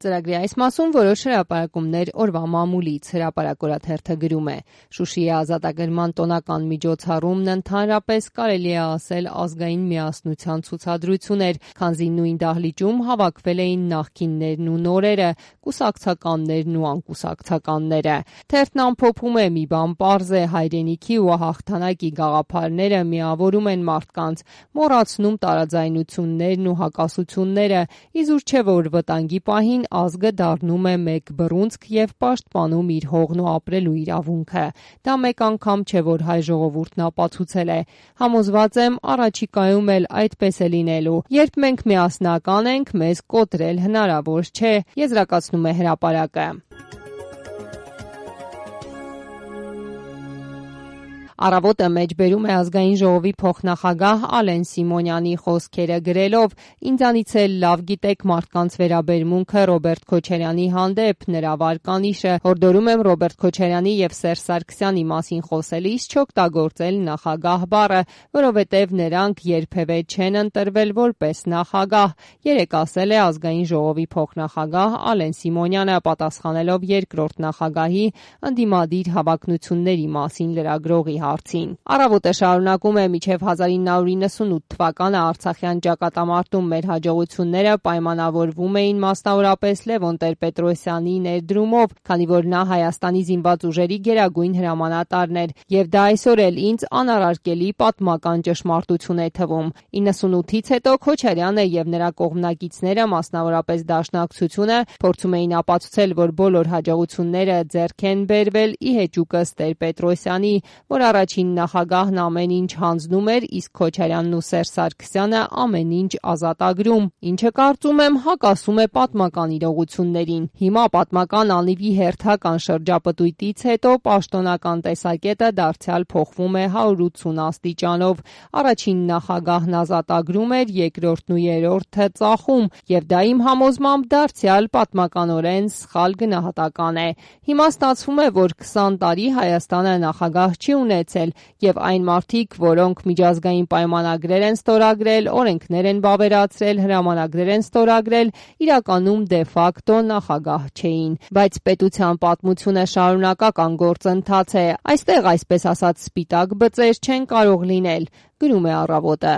Ծրագրի այս մասում որոշ հրապարակումներ օրվա մամուլից, հրապարակորաթերթը գրում է. Շուշիի ազատագրման տոնական միջոցառումն ընդհանրապես կարելի է ասել ազգային միասնության ցուցադրություն էր, քանզի նույն դահլիճում հավաքվել էին նախկիններն ու նորերը, կուսակցականներն ու անկուսակցականները։ Թերթն ամփոփում է՝ մի բան պարզ է, հայրենիքի ու հաղթանակի գաղափարները միավորում են մարդկանց, մոռացնում տարաձայնություններն ու հակասությունները, իզուր չէ, որ վտանգի պահին ազգը դառնում է մեկ բռունցք եւ պաշտպանում իր հողն ու ապրելու իրավունքը։ Դա մեկ անգամ չէ, որ հայ ժողովուրդն ապացուցել է։ Համոզված եմ, առաջիկայում էլ այդպես է լինելու։ Երբ մենք միասնական ենք, մեզ կոտրել հնարավոր չէ, եզրակացնում է հրապարակը։ Առավոտը մեջբերում է ազգային ժողովի փոխնախագահ Ալեն Սիմոնյանի խոսքերը գրելով. «Ինձանից էլ լավ գիտեք մարդկանց վերաբերմունքը Ռոբերտ Քոչարյանի հանդեպ, նրա վարկանիշը, հորդորում եմ Ռոբերտ Քոչարյանի եւ Սերժ Սարգսյանի մասին խոսելիս չօգտագործել նախագահ բառը, որովհետեւ նրանք երբևէ չեն ընտրվել որպես նախագահ», երեկ ասել է ազգային ժողովի փոխնախագահ Ալեն Սիմոնյանը, պատասխանելով երկրորդ նախագահի ընդդիմադիր հավակնությունների մասին լրագրողի հարցին։ Առավոտը շարունակում է. «Մինչև 1998 թվականը Արցախյան ճակատամարտում մեր հաջողությունները պայմանավորվում էին մասնավորապես Լևոն Տեր-Պետրոսյանի ներդրումով, քանի որ նա Հայաստանի զինված ուժերի գերագույն հրամանատարն էր, եւ դա այսօր էլ ինձ անարարկելի պատմական ճշմարտություն է թվում։ 98-ից հետո Քոչարյանը եւ նրա կողմնակիցները, մասնավորապես Դաշնակցությունը, փորձում էին ապացուցել, որ բոլոր հաջողությունները ձեռք են բերվել ի հեճուկս Տեր-Պետրոսյանի, որ առաջին նախագահն ամեն ինչ հանձնում էր, իսկ Քոչարյանն ու Սերժ Սարգսյանը ամեն ինչ ազատագրում, ինչը կարծում եմ հակասում է պատմական իրողություններին։ Հիմա պատմական անիվի հերթական շրջապտույտից հետո պաշտոնական տեսակետը դարձյալ փոխվում է 180 աստիճանով։ Առաջին նախագահն ազատագրում էր, երկրորդն ու երրորդը ծախում, եւ դա իմ համոզմամբ դարձյալ պատմականորեն սխալ գնահատական է։ Հիմա ստացվում է, որ 20 տարի Հայաստանը նախագահ չի ունեցել, եւ այն մարդիկ, որոնք միջազգային պայմանագրեր են ստորագրել, օրենքներ են վավերացրել, հրամանագրեր են ստորագրել, իրականում դե ֆակտո նախագահ չէին։ Բայց պետության պատմությունը շարունակական գործընթաց է։ Այստեղ, այսպես ասած, սպիտակ բծեր չեն կարող լինել, գրում է Առավոտը։